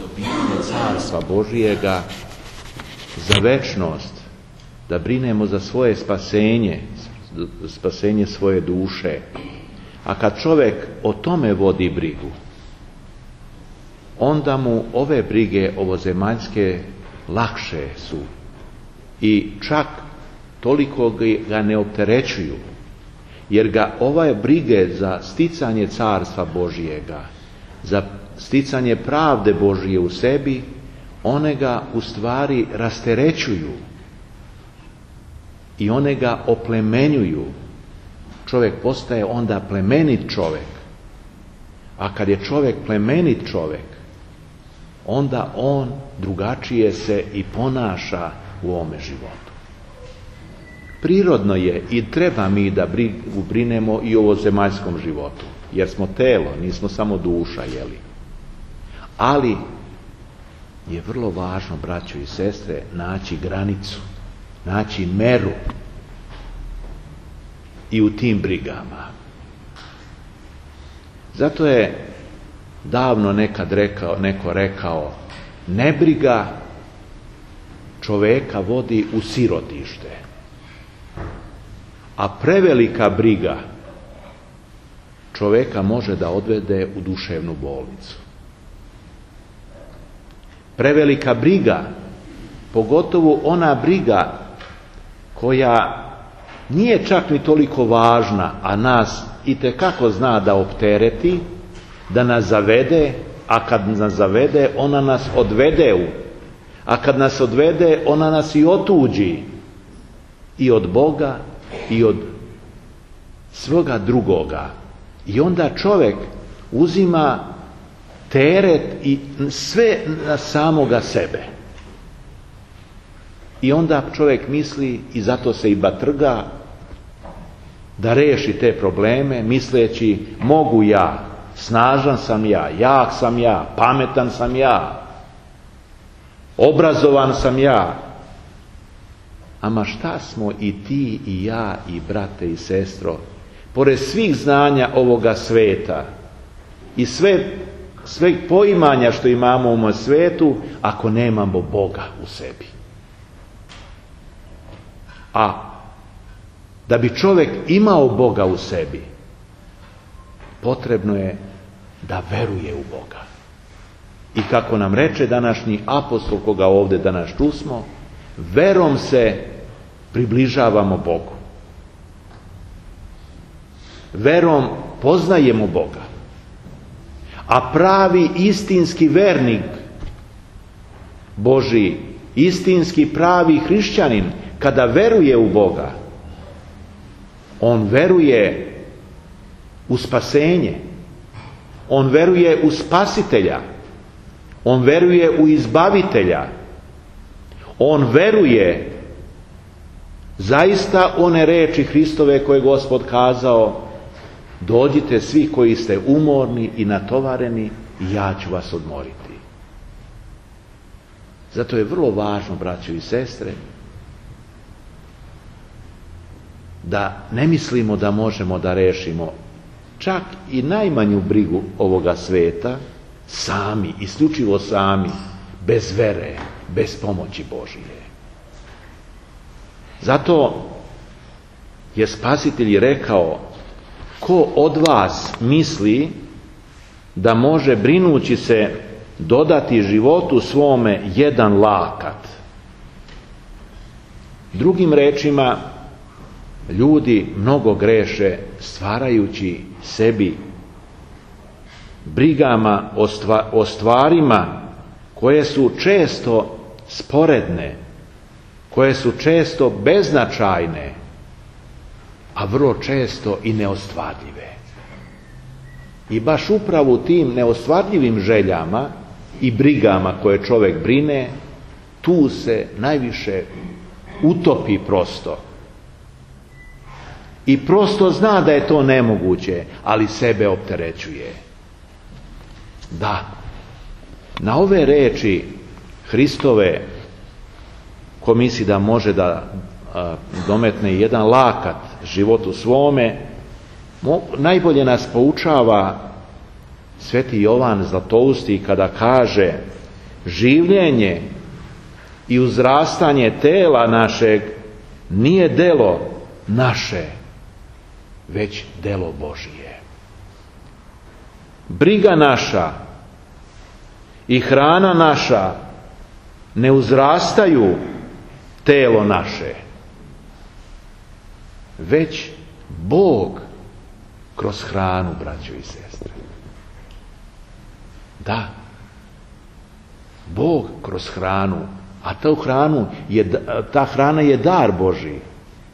dobivanje carstva Božijega, za večnost, da brinemo za svoje spasenje svoje duše. A kad čovjek o tome vodi brigu, onda mu ove brige ovozemaljske lakše su i čak toliko ga ne opterećuju, jer ga ove brige za sticanje carstva Božijega, za sticanje pravde Božije u sebi, one ga u stvari rasterećuju i one ga oplemenjuju. Čovjek postaje onda plemenit čovjek. A kad je čovjek plemenit čovjek, onda on drugačije se i ponaša u ovome životu. Prirodno je i treba mi da brinemo i o ovozemaljskom životu, jer smo telo, nismo samo duša, jeli? Ali je vrlo važno, braćo i sestre, naći granicu, naći meru i u tim brigama. Zato je davno neko rekao, nebriga čoveka vodi u sirotište, a prevelika briga čoveka može da odvede u duševnu bolnicu. Prevelika briga, pogotovo ona briga koja nije čak ni toliko važna, a nas itekako zna da optereti, da nas zavede, a kad nas zavede, ona nas odvede a kad nas odvede, ona nas i otuđi i od Boga i od svoga drugoga. I onda čovjek uzima teret i sve na samoga sebe. I onda čovjek misli, i zato se i batrga, da reši te probleme, misleći mogu ja, snažan sam ja, jak sam ja, pametan sam ja, obrazovan sam ja. Ama šta smo i ti i ja i brate i sestro, pored svih znanja ovoga sveta i sve poimanja što imamo u ovom svetu, ako nemamo Boga u sebi? A da bi čovjek imao Boga u sebi, potrebno je da veruje u Boga. I kako nam reče današnji apostol, koga ovdje danas čusmo, verom se približavamo Bogu. Verom poznajemo Boga. A pravi istinski vernik Božji, istinski pravi hrišćanin, kada veruje u Boga, on veruje u spasenje, on veruje u spasitelja, on veruje u izbavitelja, on veruje zaista one reči Hristove koje je Gospod kazao: dođite svi koji ste umorni i natovareni i ja ću vas odmoriti. Zato je vrlo važno, braćo i sestre, da ne mislimo da možemo da rešimo čak i najmanju brigu ovoga sveta sami, isključivo sami, bez vere, bez pomoći Božije. Zato je Spasitelj rekao: ko od vas misli da može brinući se dodati životu svome jedan lakat? Drugim rečima, ljudi mnogo greše stvarajući sebi brigama o stvarima koje su često sporedne, koje su često beznačajne, a vrlo često i neostvarljive. I baš upravo u tim neostvarljivim željama i brigama koje čovjek brine, tu se najviše utopi prosto. I prosto zna da je to nemoguće, ali sebe opterećuje. Da, na ove reči Hristove, ko misli da može da dometne jedan lakat životu svome, najbolje nas poučava Sveti Jovan Zlatousti kada kaže: življenje i uzrastanje tela našeg nije delo naše, već delo Božije. Briga naša i hrana naša ne uzrastaju telo naše, već Bog kroz hranu, braćo i sestre. Da, Bog kroz hranu, a ta hrana je dar Božji,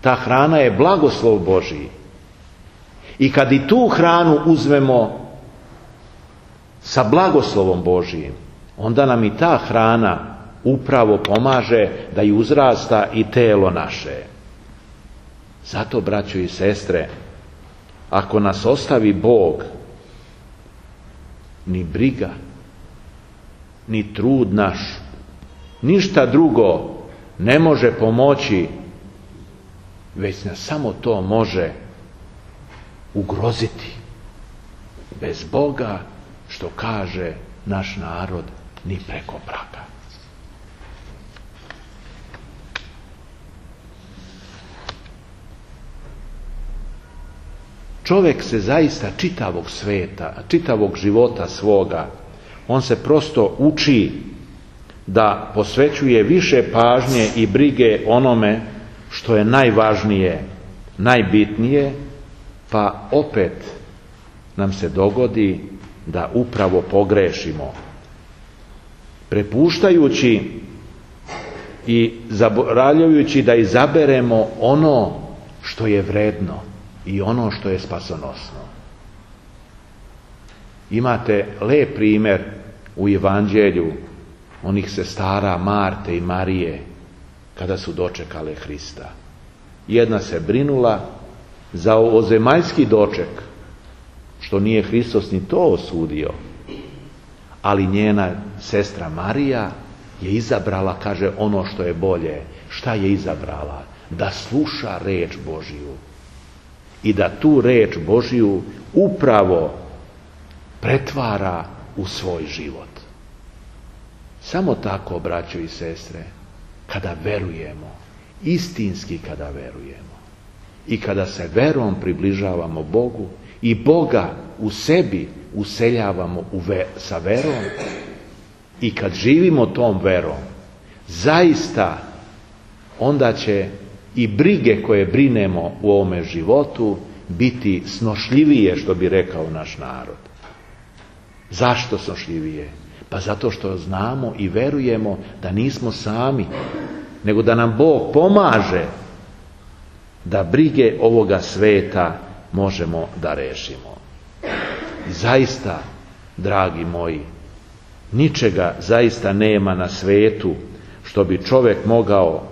ta hrana je blagoslov Božji. I kad i tu hranu uzmemo sa blagoslovom Božjim, onda nam i ta hrana upravo pomaže da i uzrasta i telo naše. Zato, braćo i sestre, ako nas ostavi Bog, ni briga, ni trud naš, ništa drugo ne može pomoći, već nas samo to može ugroziti. Bez Boga, što kaže naš narod, ni preko praga. Čovjek se zaista čitavog sveta, čitavog života svoga, on se prosto uči da posvećuje više pažnje i brige onome što je najvažnije, najbitnije, pa opet nam se dogodi da upravo pogrešimo. Prepuštajući i zaboravljajući da izaberemo ono što je vredno i ono što je spasonosno. Imate lep primjer u Evanđelju onih sestara Marte i Marije kada su dočekale Hrista. Jedna se brinula za ovozemaljski doček, što nije Hristos ni to osudio, ali njena sestra Marija je izabrala, kaže, ono što je bolje. Šta je izabrala? Da sluša reč Božiju i da tu reč Božiju upravo pretvara u svoj život. Samo tako, braćo i sestre, kada verujemo, istinski kada verujemo i kada se verom približavamo Bogu i Boga u sebi useljavamo sa verom i kad živimo tom verom, zaista onda će i brige koje brinemo u ovome životu biti snošljivije, što bi rekao naš narod. Zašto snošljivije? Pa zato što znamo i verujemo da nismo sami, nego da nam Bog pomaže da brige ovoga sveta možemo da rešimo. I zaista, dragi moji, ničega zaista nema na svetu što bi čovjek mogao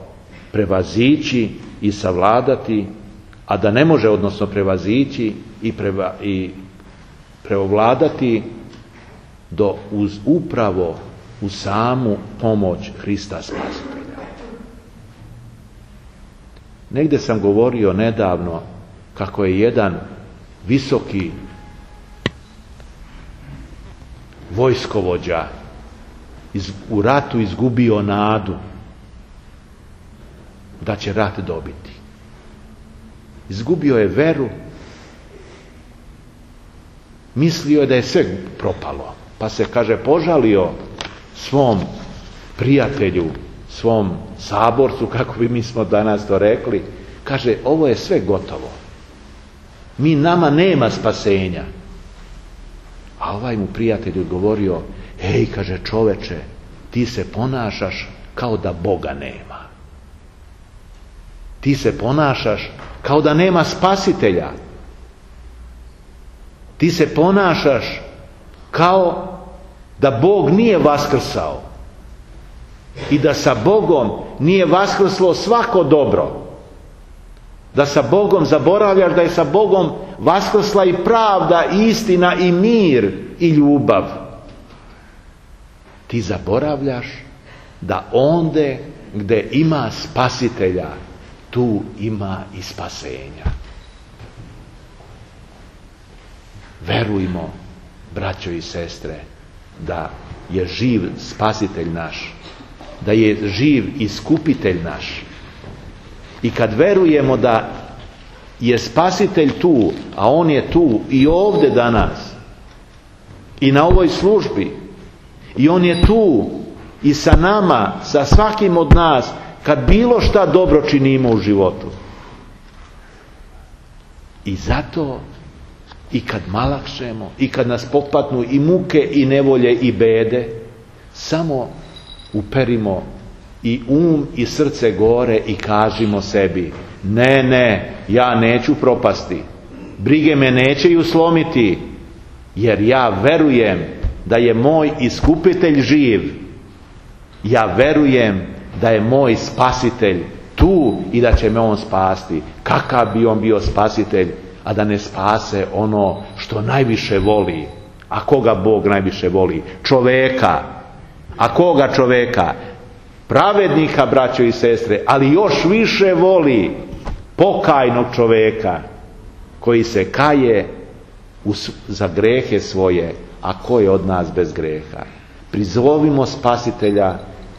prevazići i savladati, a da ne može, odnosno prevazići i preovladati upravo u samu pomoć Hrista Spasitelja. Negdje sam govorio nedavno kako je jedan visoki vojskovođa u ratu izgubio nadu da će rat dobiti. Izgubio je veru, mislio je da je sve propalo, pa se, kaže, požalio svom prijatelju, svom saborcu, kako bi mi smo danas to rekli, kaže, ovo je sve gotovo. Nama nema spasenja. A ovaj mu prijatelj odgovorio, hej, kaže, čoveče, ti se ponašaš kao da Boga nema. Ti se ponašaš kao da nema spasitelja. Ti se ponašaš kao da Bog nije vaskrsao i da sa Bogom nije vaskrslo svako dobro. Da sa Bogom zaboravljaš da je sa Bogom vaskrsla i pravda, i istina, i mir, i ljubav. Ti zaboravljaš da onde gde ima spasitelja, tu ima i spasenja. Verujmo, braćo i sestre, da je živ spasitelj naš, da je živ iskupitelj naš. I kad verujemo da je spasitelj tu, a on je tu i ovdje danas, i na ovoj službi, i on je tu i sa nama, sa svakim od nas, kad bilo šta dobro činimo u životu. I zato, i kad malakšemo, i kad nas popatnu i muke, i nevolje, i bede, samo uperimo i i srce gore i kažimo sebi: ne, ja neću propasti, brige me neće slomiti, jer ja verujem da je moj iskupitelj živ, ja verujem da je moj spasitelj tu i da će me on spasti. Kakav bi on bio spasitelj, a da ne spase ono što najviše voli? A koga Bog najviše voli? Čoveka. A koga čoveka? Pravednika, braćo i sestre, ali još više voli pokajnog čoveka koji se kaje za grehe svoje. A ko je od nas bez greha? Prizovimo spasitelja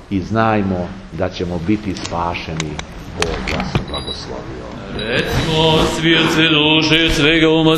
i znajmo da ćemo biti spašeni. Bog vas blagoslovio. Recimo, svijet se duše svega uma